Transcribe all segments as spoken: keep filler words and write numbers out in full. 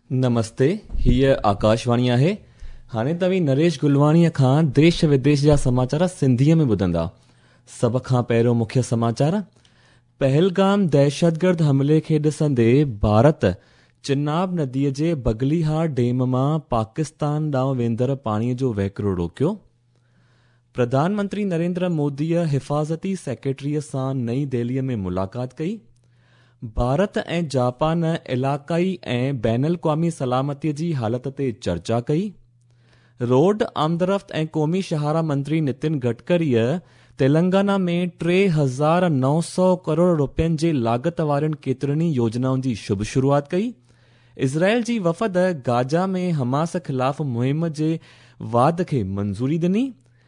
नमस्ते, हीअ आकाशवाणी आहे। हाणे तव्हीं नरेश गुलवाणीअ खां देश विदेश जा समाचार सिंधीअ में ॿुधंदा। सभ खां पहिरियों मुख्य समाचार। पहलगाम दहशतगर्द हमले खे ॾिसंदे भारत चिनाब नदीअ जे बगलिहार डैम मां पाकिस्तान ॾांहुं वेंदड़ पाणीअ जो वहिकिरो रोकियो। प्रधानमंत्री नरेंद्र मोदीअ हिफाज़ती सेक्रेटरीअ सां नई दिल्लीअ में मुलाक़ात कई। भारत ऐं जापान इलाक़ाई ऐं बैनुल अक़वामी सलामतीअ जी हालत ते चर्चा कई। रोड आमदरफ़्त ऐं क़ौमी शाहराह मंत्री नितिन गडकरीअ तेलंगाना में टे हज़ार नौ सौ करोड़ रुपयनि जे लागत वारियुनि केतिरनि ई योजनाउनि जी शुभ शुरूआत कई। इज़राइल जी वफ़द गाज़ा में हमास ख़िलाफ़ मुहिम जे वाध खे मंज़ूरी ॾिनी।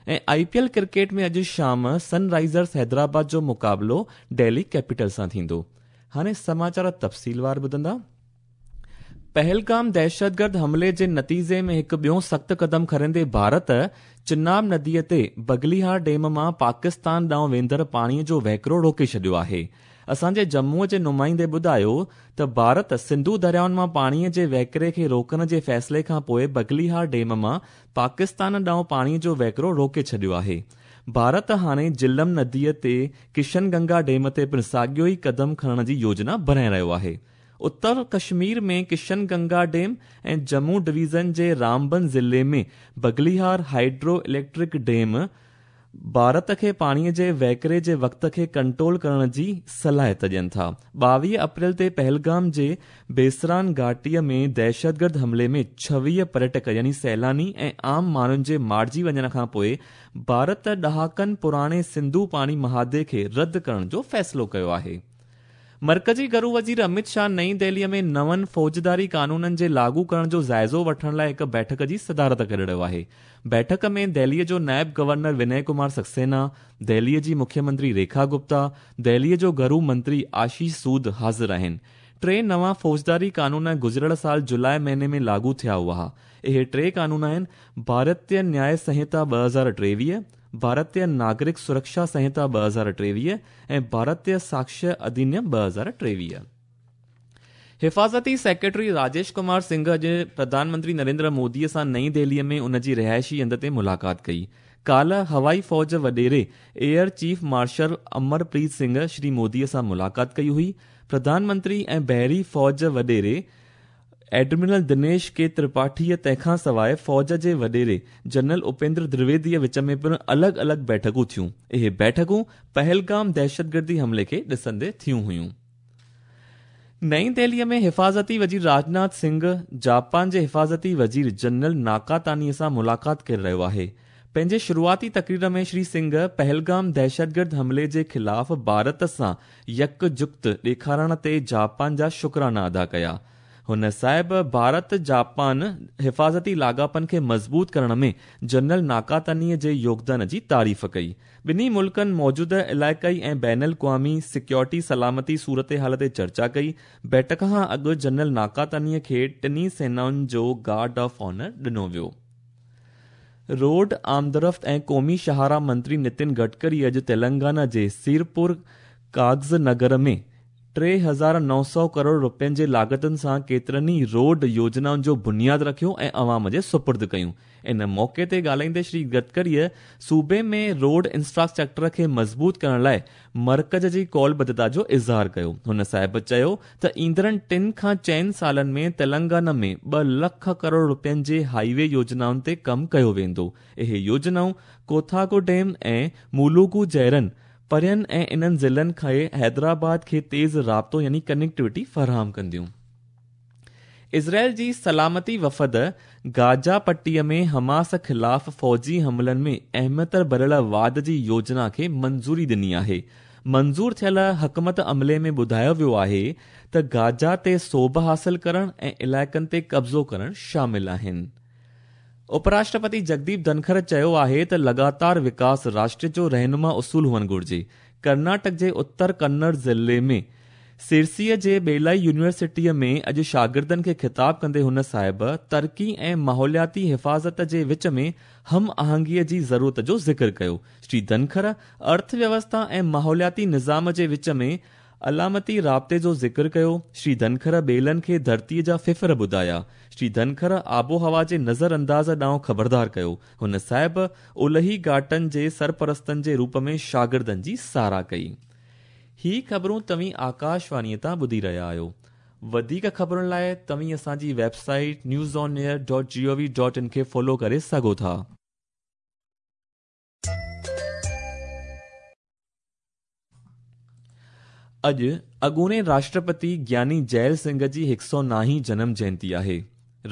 ऐं I P L cricket में अॼु शाम सनराइज़र्स हैदराबाद जो मुक़ाबिलो दिल्ली कैपिटल सां थींदो। हाणे समाचार तफ़सीलवार ॿुधंदा। पहलगाम दहशतगर्द हमले जे नतीजे में हिकु ॿियो सख़्तु क़दम खणंदे भारत चिनाब नदीअ ते बगलिहार डैम मां पाकिस्तान ॾांहुं वेंदड़ पाणीअ जो वहिकिरो रोके छॾियो आहे। असांजे जम्मूअ जे नुमाइंदे ॿुधायो त भारत सिंधु दरियाउनि मां पाणीअ जे वहिकिरे खे रोकण जे फ़ैसिले खां पोइ बगलिहार डैम मां पाकिस्तान ॾांहुं पाणीअ जो वहिकिरो रोके छॾियो आहे। भारत हाणे जिलम नदीअ ते किशनगंगा डैम ते पिणु साॻियो ई क़दम खणण जी योजना बणाए रहियो आहे। उत्तर कश्मीर में किशनगंगा डैम ऐं जम्मू डिवीज़न जे रामबन ज़िले में Baglihar hydro electric dam Bharat खे पाणीअ जे वहिकिरे जे वक़्त खे कंट्रोल करण जी सलाहियत ॾियनि था। ॿावीह अप्रैल ते पहलगाम जे बेसरान घाटीअ में दहशतगर्द हमले में छवीह पर्यटक यानी सैलानी ऐं आम माण्हुनि जे मारिजी वञण खां पोइ भारत ॾहाकनि पुराणे सिंधु पाणी मुआहदे खे रद्द करण जो फ़ैसिलो कयो आहे। मर्कज़ी घरू वज़ीर अमित शाह नई दिल्लीअ में नवनि फौजदारी कानूननि जे लागू करण जो जाइज़ो वठण लाइ हिकु बैठक जी सदारत करे रहियो आहे। बैठक में दिल्लीअ जो नायब गवर्नर विनय कुमार सक्सेना, दिल्लीअ जी मुख्यमंत्री रेखा गुप्ता, दिल्लीअ जो घरू मंत्री आशीष सूद हाज़िर आहिनि। टे नवां फौजदारी कानून गुज़िरियल साल जुलाई महीने में लागू थिया हुआ। इहे टे कानून आहिनि भारतीय न्याय संहिता ॿ हज़ार टेवीह, भारतीय नागरिक सुरक्षा संहिता ॿ हज़ार टेवीह ऐं भारतीय साक्ष्य अधिनियम ॿ हज़ार टेवीह। हिफाज़ती सेक्रेटरी राजेश कुमार सिंह अॼु प्रधानमंत्री नरेंद्र मोदीअ सां नई दिल्लीअ में उन जी रिहाइशी हंधि ते मुलाक़ात कई। काल्ह हवाई फ़ौज वॾेरे air chief marshal Amarpreet Singh Shri मोदीअ सां मुलाक़ात कई हुई। प्रधानमंत्री ऐं बहरी फ़ौज वॾेरे एडमिरल दिनेश के त्रिपाठीअ तंहिंखां सवाइ फ़ौज जे वॾेरे जनरल उपेंद्र द्विवेदीअ विच में पिणु अलॻि अलॻि बैठकूं थियूं। इहे बैठकूं पहलगाम दहशतगर्दी हमले खे ॾिसंदे थियूं हुयूं। नई दिल्लीअ में हिफाज़ती वज़ीर राजनाथ सिंह जापान जे हिफाज़ती वज़ीर जनरल नाकातानीअ सां मुलाक़ात करे रहियो आहे। पंहिंजे शुरूआती तकरीर में श्री सिंह पहलगाम दहशतगर्द हमले जे ख़िलाफ़ भारत सां यकजुक्त ॾेखारण ते जापान जा शुक्राना अदा कया। हुन साहिब भारत जापान हिफाज़ती लाॻापनि खे मज़बूत करण में जनरल नाकातानीअ जे योगदान जी तारीफ़ कई। ॿिन्ही मुल्कनि मौजूदा इलाइक़ाई ऐं बैनुल अक़वामी सिक्योरिटी सलामती सूरत हाल ते चर्चा कई। बैठक खां अॻु जनरल नाकातानीअ खे टिन्ही सेनाउनि जो गार्ड ऑफ ऑनर ॾिनो वियो। रोड आमदरफ़्त ऐं क़ौमी शाहराह मंत्री नितिन गडकरी अॼु तेलंगाना जे सिरपुर कागज़ नगर में टे हज़ार नौ सौ करोड़ रुपयनि जे लागतुनि सां केतिरनि ई रोड योजनाउनि जो बुनियाद रखियो ऐं अवाम जे सुपुर्द कयूं। इन मौक़े ते ॻाल्हाईंदे श्री गडकरीअ सूबे में रोड इंफ्रास्ट्रक्चर खे मज़बूत करण लाइ मर्कज़ जी कौलबद्धता जो इज़हार कयो। हुन साहिब चयो त ईंदड़नि टिनि खां चइनि सालनि में तेलंगाना में ॿ लख करोड़ रुपयनि जे हाईवे योजनाउनि ते कमु कयो वेंदो। इहे योजनाऊं कोथागोडेम ऐं मुलुगु जहिड़नि परियनि ऐं इन्हनि ज़िलनि खे हैदराबाद खे तेज़ राब्तो यानी कनेक्टिविटी फराहम कंदियूं। इज़राइल जी सलामती वफ़द गाज़ा पट्टीअ में हमास ख़िलाफ़ फ़ौजी हमलनि में अहमियत भरियल वाध जी योजना खे मंज़ूरी ॾिनी आहे। मंज़ूर थियल हिकमत अमले में ॿुधायो वियो आहे त गाज़ा ते सोभ हासिल करण ऐं इलाइक़नि ते कब्ज़ो करण शामिल आहिनि। उपराष्ट्रपति जगदीप धनखड़ चयो आहे त लगातार विकास राष्ट्र जो रहनुमा उसूल हुअणु घुर्जे। कर्नाटक जे उत्तर कन्नड़ ज़िले में सिरसीअ जे बेलाई यूनिवर्सिटीअ में अॼु शागिर्दनि खे ख़िताब कंदे हुन साहिब तरक़ी ऐं माहौलियाती हिफाज़त जे विच में हम आहंगीअ जी ज़रूरत जो ज़िक्र कयो। श्री धनखड़ अर्थव्यवस्था ऐं माहौलियाती निज़ाम जे विच में علامتي رابطي جو ذڪر ڪيو. شري ڌنکر ٻيلن کي ڌرتيءَ جا ڦڦڙ ٻڌايا. شري ڌنکر آبهوا جي نظر انداز ڏانهن خبردار ڪيو. هن صاحب اولهي گهاٽن جي سرپرستن جي روپ ۾ شاگردن جي ساراهه ڪئي. هي خبرون توهين آڪاشواڻيءَ تان ٻڌي رهيا آهيو. وڌيڪ خبرن لاءِ توهين اسان جي website news on air dot G O V dot in کي فالو ڪري سگهو ٿا. اڄ اڳوڻي راشٽرپتي گياني جيل سنگهه جي هڪ سؤ نائين جنم جينتي آهي.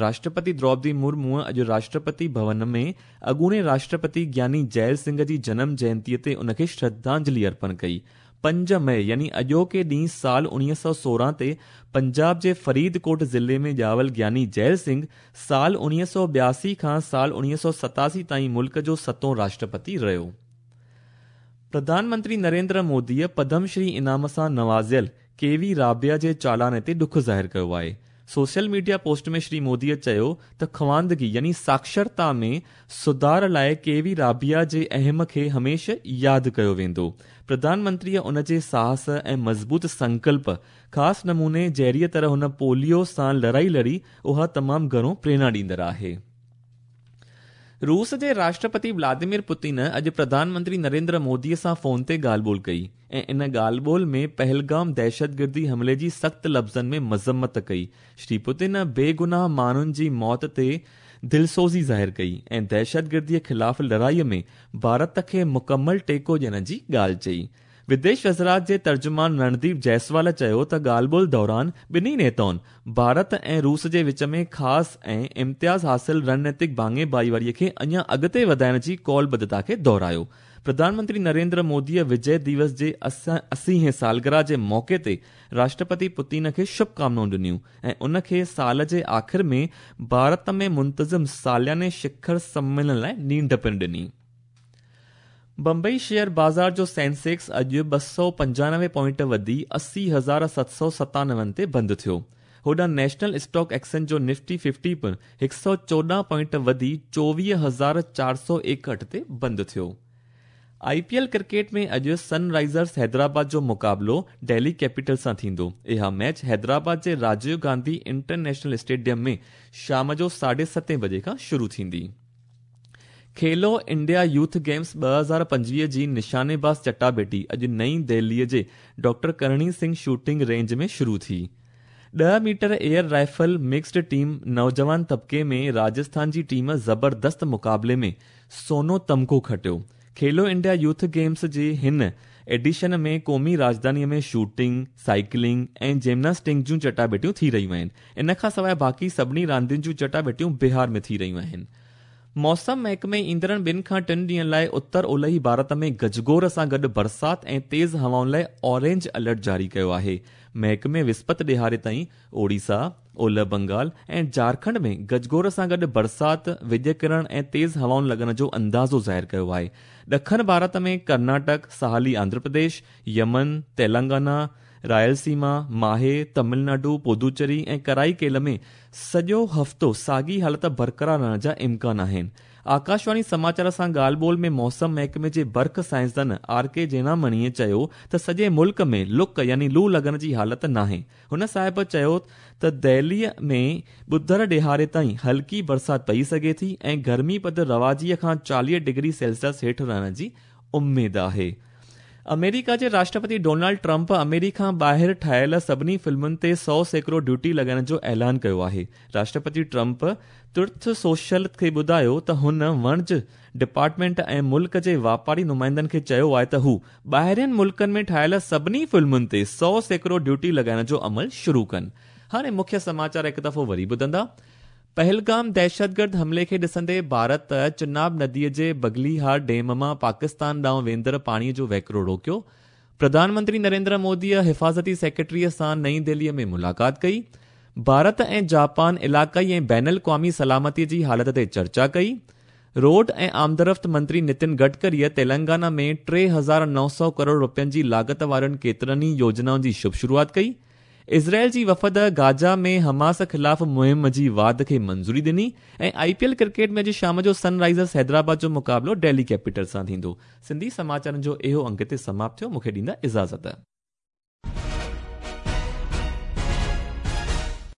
راشٽرپتي دروپدي مرمو اڄ راشٽرپتي ڀون ۾ اڳوڻي راشٽرپتي گياني جيل سنگهه جي جنم جينتيءَ تي ان کي شرڌانجلي ارپڻ ڪئي. پنج مئي يعني اڄوڪي ڏينهن سال اڻويهه سؤ سورهن تي پنجاب جي فريدڪوٽ ضلعي ۾ ڄاول گياني جيل سنگهه سال اڻويهه سؤ ٻياسي کان سال اڻويهه سؤ ستاسي تائين ملڪ جو ستون راشٽرپتي رهيو. پرڌان منتري نريندر موديءَ پدم شري انعام سان نوازيل ڪي وي رابيا جي چالاني تي ڏک ظاهر ڪيو آهي. سوشل ميڊيا پوسٽ ۾ شري موديءَ چيو ته خواندگي يعني ساڪشرتا ۾ سڌار لاءِ ڪي وي رابيا جي اهم کي هميشه ياد ڪيو ويندو. پرڌان منتريءَ ان جي ساهس ۽ مضبوط سنڪلپ خاص نموني جهڙيءَ طرح هن پوليو سان لڙائي لڙي اها تمام گهڻو پريرڻا ڏيندڙ آهي. روس جي راشٽرپتي ولاديمير پوتن اڄ پرڌان منتري نريندر موديءَ سان فون تي ڳالهه ٻولهه ڪئي ۽ ان ڳالهه ٻولهه ۾ پهلگام دهشتگردي حملي جي سخت لفظن ۾ مذمت ڪئي. شري پوتن بيگناهه ماڻهن جي موت تي دلسوزي ظاهر ڪئي ۽ دهشتگرديءَ خلاف لڙائيءَ ۾ ڀارت کي مڪمل ٽيڪو ڏيڻ جي ڳالهه چئي. وديش وزارت جي ترجمان رڻديپ جئسوال چيو ته ڳالهه ٻولهه دوران ٻنهي نيتائن ڀارت ۽ روس جي وچ ۾ خاص ۽ امتياز حاصل رڻنيتڪ ڀاڱي ڀائيواريءَ کي اڃا اڳتي وڌائڻ جي ڪالبڌتا کي دهرايو. پرڌان منتري نريندر موديءَ وجي دوس جي اسيهين سالگرهه جي موقعي تي راشٽرپتي پوتن کي شڀڪامنائون ڏنيون ۽ ان کي سال جي آخر ۾ ڀارت ۾ منتظم سالياني شکر سميلن لاءِ نينڍ پڻ ڏني. بمبئي شيئر بازار جو سينسيڪس اڄ ٻه سؤ پنجانوي پوائنٽ وڌي اسي هزار ست سؤ ستانوي تي بند ٿيو. هوڏانهن نيشنل اسٽاڪ ايڪسچينج جو نفٽي ففٽي پڻ هڪ سؤ چوڏهن پوائنٽ وڌي چوويهه هزار چار سؤ ايڪهٺ تي بند ٿيو. I P L cricket ۾ اڄ سن رائزرس حيدرآباد جو مقابلو دهلي ڪيپيٽل سان ٿيندو. اها ميچ حيدرآباد جي راجيو گانڌي انٽرنيشنل اسٽيڊيم ۾ شام جو ساڍي ستين بجي کان شروع ٿيندي. کيلو انڊيا يوٿ گيمز ٻه هزار پنجويهه جي نشانيباز چٽاڀيٽي اڄ نئين دهليءَ جي ڊاڪٽر ڪرڻي سنگهه شوٽنگ رينج ۾ شروع ٿي. ڏهه metre air rifle mixed team نوجوان طبقي ۾ راجسٿان جي ٽيم زبردست مقابلي ۾ سونو تمغو کٽيو. کيلو انڊيا يوٿ گيمز جي هن ايڊيشن ۾ قومي راڄڌانيءَ ۾ شوٽنگ، سائيڪلنگ ۽ جمناسٽنگ جون چٽاڀيٽيون ٿي رهيون آهن. ان کان سواءِ باقي سڀني راندين جون چٽاڀيٽيون بهار ۾ ٿي رهيون آهن. موسم محڪمي ايندڙ ٻن کان ٽن ڏينهن لاءِ اتر اولهي ڀارت ۾ گجگوڙ سان گڏ برسات ۽ تيز هوائن لاءِ اورينج الرٽ جاري ڪيو آهي. محڪمي وسپت ڏهاڙي تائين اوڙيسا، اولهه بنگال ۽ جهارکنڊ ۾ گجگوڙ سان گڏ برسات، وڄ ڪرڻ ۽ تيز هوائن لڳڻ جو اندازو ظاهر ڪيو آهي. ڏکڻ ڀارت ۾ ڪرناٽڪ، ساحلي آنڌرا پرديش، يمن، تيلنگانا، رائلسيما، ماهي، تامل ناڊو، پدوچيري ۽ ڪرائيڪيل ۾ سڄو هفتو ساڳي حالت برقرار رهڻ جا امڪان آهن. آڪاشواڻي سماچار سان ڳالهه ٻولهه ۾ موسم محڪمي جي برک سائنسدان آر ڪي جينامڻيءَ چيو ته سڄي ملڪ ۾ لڪ يعني لو لڳڻ جي حالت ناهي. هن صاحب چيو ته دهليءَ ۾ ٻڌر ڏهاڙي تائين هلڪي برسات پئي سگهي ٿي ۽ گرمي پد رواجيءَ کان چاليهه ڊگري سيلسيس هيٺ رهڻ جي اميد آهي. آمريڪا جي راشٽرپتي ڊونالڊ ٽرمپ آمريڪا ٻاهر ٺاهيل سڀني فلمن تي سؤ سيڪڙو ڊيوٽي لڳائڻ جو اعلان ڪيو آهي. راشٽرپتي ٽرمپ ترٿ سوشل کي ٻڌايو ته هن وڻج ڊپارٽمينٽ ۽ ملڪ جي واپاري نمائندن کي چيو آهي ته هو ٻاهرين ملڪن ۾ ٺاهيل سڀني فلمن تي سؤ سيڪڙو ڊيوٽي لڳائڻ جو عمل شروع ڪن. هاڻي مکيه سماچار هڪ دفعو وري ٻڌندا. پهلگام دهشتگرد حملي کي ڏسندي ڀارت چناب نديءَ جي بگليهار ڊيم مان پاڪستان ڏانهن ويندڙ پاڻيءَ جو وهڪرو روڪيو. پرڌان منتري نريندر موديءَ حفاظتي سيڪريٽريءَ سان نئين دهليءَ ۾ ملاقات ڪئي. ڀارت ۽ جاپان علائقائي ۽ بين الاقوامي سلامتيءَ جي حالت تي چرچا ڪئي. روڊ ۽ آمدرفت منتري نتن گڊڪريءَ تيلنگانا ۾ ٽي هزار نو سؤ ڪروڙ رپين جي لاڳت وارين ڪيترن ئي يوجنائن جي شڀ شروعات ڪئي. اسرائيل جي وفد گازا ۾ حماس خلاف مهم جي واڌ کي منظوري ڏني ۽ I P L cricket ۾ اڄ شام جو سن رائزرس حيدرآباد جو مقابلو دهلي ڪيپيٽل سان ٿيندو. سنڌي سماچارن جو اهو انگ هتي سماپت ٿيو. مون کي ڏيندا اجازت.